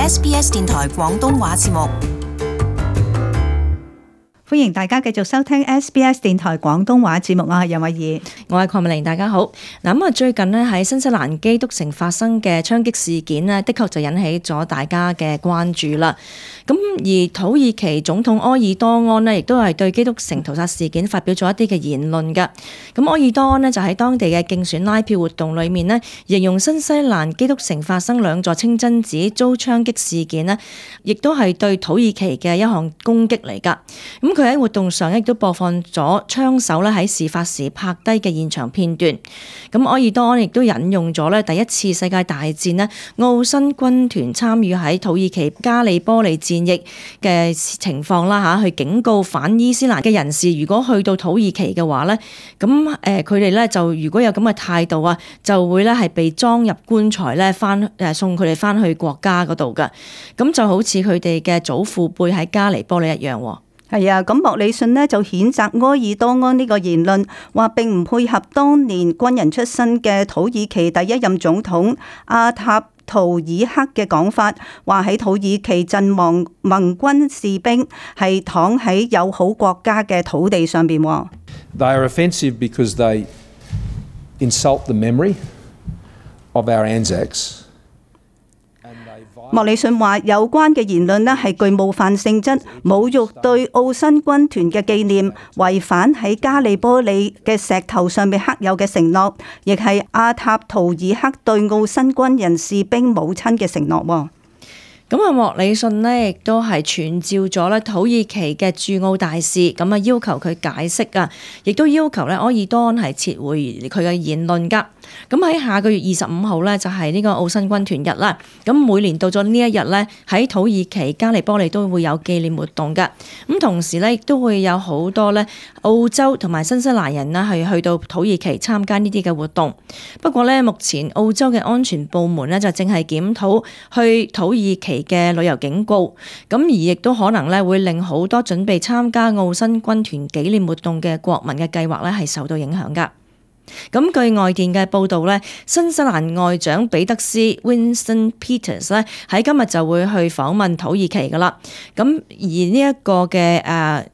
SBS 電台廣東話節目。歡迎大家繼續收聽 SBS 電台廣東話節目，我係楊慧儀，我係鄺美玲，大家好。咁最近咧喺新西蘭基督城發生嘅槍擊事件咧，的確就引起咗大家嘅關注啦。咁而土耳其總統埃爾多安咧，亦都係對基督城屠殺事件發表咗一啲嘅言論㗎。咁埃爾多安咧就喺當地嘅競選拉票活動裏面咧，形容新西蘭基督城發生兩座清真寺遭槍擊事件咧，亦都係對土耳其嘅一項攻擊嚟㗎。咁佢喺活動上亦都播放咗槍手咧喺事發時拍低嘅現場片段。咁埃爾多安亦都引用咗咧第一次世界大戰咧奧新軍團參與喺土耳其加里波利戰役嘅情況啦嚇，去警告反伊斯蘭嘅人士，如果去到土耳其嘅話咧，咁佢哋咧就如果有咁嘅態度啊，就會咧係被裝入棺材咧送佢哋翻去國家嗰度㗎。咁就好似佢哋嘅祖父輩喺加里波利一樣喎。係啊，咁莫里遜呢就譴責埃爾多安呢個言論，話並唔配合當年軍人出身嘅土耳其第一任總統阿塔圖爾克嘅講法，話喺土耳其陣亡盟軍士兵係躺喺友好國家嘅土地上邊。They are offensive because they insult the memory of our Anzacs. 莫里遜話有關嘅言論呢係具冒犯性質，侮辱對奧新軍團嘅紀念，違反喺加里波利嘅石頭上面刻有嘅承諾，亦係阿塔圖爾克對奧新軍人士兵母親嘅承諾。咁莫里遜呢亦都係傳召咗咧土耳其嘅駐澳大使，咁要求佢解釋啊，亦都要求咧埃爾多安係撤回佢嘅言論㗎。咁喺下個月25號咧就係呢個奧新軍團日啦。咁每年到咗呢一日咧，喺土耳其加里波利都會有紀念活動㗎。咁同時咧亦都會有好多咧澳洲同埋新西蘭人啦係去到土耳其參加呢啲嘅活動。不過咧目前澳洲嘅安全部門咧就正係檢討去土耳其嘅旅遊警告，咁而亦都可能咧會令好多準備參加奧新軍團紀念活動嘅國民嘅計劃咧係受到影響㗎。咁據外電嘅報導咧，新西蘭外長彼得斯 Winston Peters 咧喺今日就會去訪問土耳其㗎啦。咁而呢一個嘅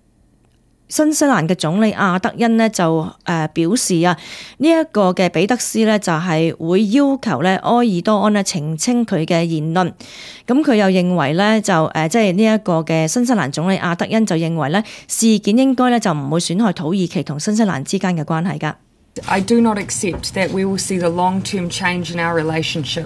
新西蘭嘅總理阿德恩呢就表示啊，呢一個嘅彼得斯呢就係會要求咧埃爾多安呢澄清佢嘅言論。咁佢又認為呢就即係呢一個嘅新西蘭總理阿德恩就認為呢事件應該呢就唔會損害土耳其同新西蘭之間嘅關係㗎。I do not accept that we will see the long-term change in our relationship.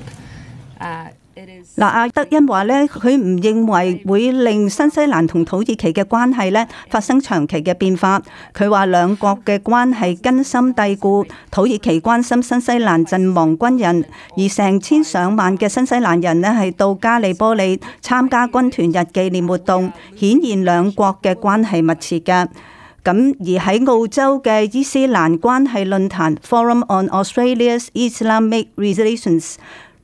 阿德恩話咧，佢唔認為會令新西蘭同土耳其嘅關係咧發生長期嘅變化。佢話兩國嘅關係根深蒂固，土耳其關心新西蘭陣亡軍人，而成千上萬嘅新西蘭人咧係到加里波利參加軍團日紀念活動，顯現兩國嘅關係密切嘅。咁而喺澳洲嘅伊斯蘭關係論壇 Forum on Australia's Islamic Relations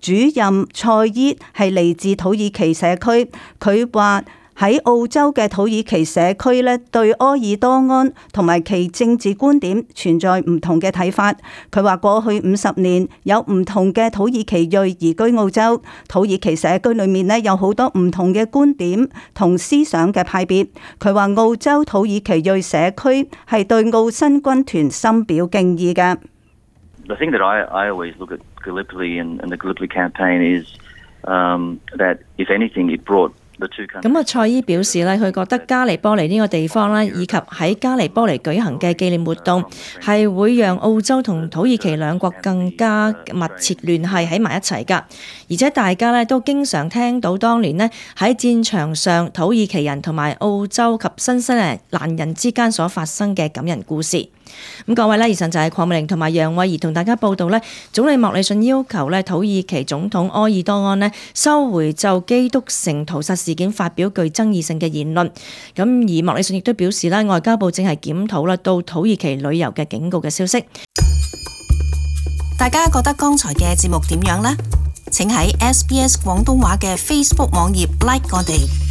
主任蔡伊係嚟自土耳其社區，佢話喺澳洲嘅土耳其社區咧，對埃爾多安同埋其政治觀點存在唔同嘅睇法。佢話過去50年有唔同嘅土耳其裔移居澳洲，土耳其社區裏面咧有好多唔同嘅觀點同思想嘅派別。佢話澳洲土耳其裔社區係對奧新軍團深表敬意嘅。The thing that I always look at Gallipoli and the Gallipoli campaign is that if anything it brought the two countries. 咁蔡伊表示咧，佢覺得加里波利呢個地方咧，以及喺加里波利舉行嘅紀念活動，係會讓澳洲同土耳其兩國更加密切聯繫喺埋一齊㗎。而且大家咧都經常聽到當年呢喺戰場上土耳其人同埋澳洲及新西蘭人之間所發生嘅感人故事。咁各位咧，以上就係鄺美玲同埋楊慧儀同大家報道咧，總理莫里遜要求咧土耳其總統埃爾多安咧收回就基督城屠殺事件發表具爭議性嘅言論。咁而莫里遜亦都表示咧，外交部正係檢討啦到土耳其旅遊嘅警告嘅消息。大家覺得剛才嘅節目點樣呢？請喺 SBS 廣東話嘅 Facebook 網頁 like 我哋。